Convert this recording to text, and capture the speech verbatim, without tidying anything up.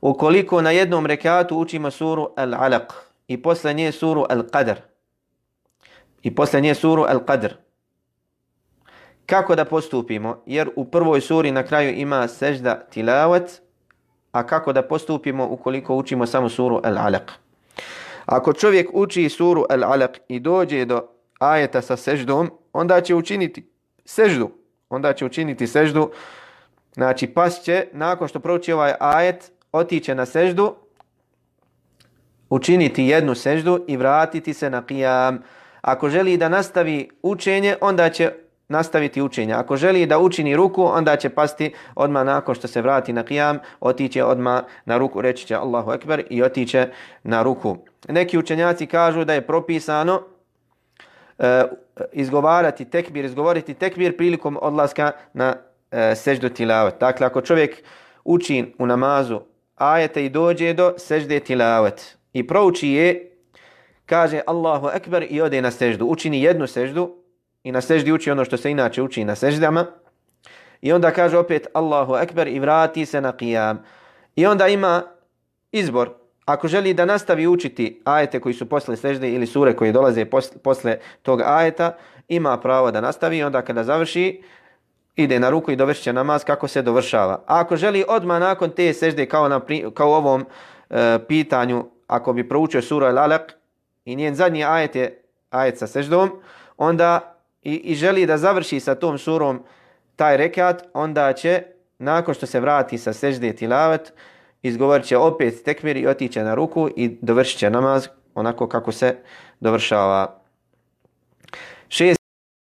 ukoliko na jednom rekatu učimo suru Al-Alaq i posle nje suru Al-Qadr i posle nje suru Al-Qadr, kako da postupimo? Jer u prvoj suri na kraju ima sežda tilavat, a kako da postupimo ukoliko učimo samo suru Al-Alaq? Ako čovjek uči suru Al-Alaq i dođe do ajeta sa seždom, onda će učiniti seždu. Onda će učiniti seždu, znači pas će, nakon što prouči ovaj ajet, otiće na seždu, učiniti jednu seždu i vratiti se na qiyam. Ako želi da nastavi učenje, onda će nastaviti učenje. Ako želi da učini ruku, onda će pasti odmah nakon što se vrati na qiyam, otiće odmah na ruku, reći će Allahu Ekber i otiće na ruku. Neki učenjaci kažu da je propisano uh, izgovarati tekbir, izgovoriti tekbir prilikom odlaska na uh, seždu tilavet. Dakle, ako čovjek uči u namazu ajete i dođe do sežde tilavet i prouči je, kaže Allahu Ekber i ode na seždu, učini jednu seždu i na seždi uči ono što se inače uči na seždama i onda kaže opet Allahu Ekber i vrati se na qiyam. I onda ima izbor. Ako želi da nastavi učiti ajete koji su posle sežde ili sure koje dolaze posle, posle tog ajeta, ima pravo da nastavi i onda kada završi, ide na ruku i dovršit će namaz kako se dovršava. A ako želi odmah nakon te sežde, kao, na, kao u ovom e, pitanju, ako bi proučio suru Al-Alaq i njen zadnji ajet je ajet sa seždom, onda i, i želi da završi sa tom surom taj rekat, onda će, nakon što se vrati sa sežde tilavet, izgovorit će opet tekbir i otiće na ruku i dovršit će namaz onako kako se dovršava. Šest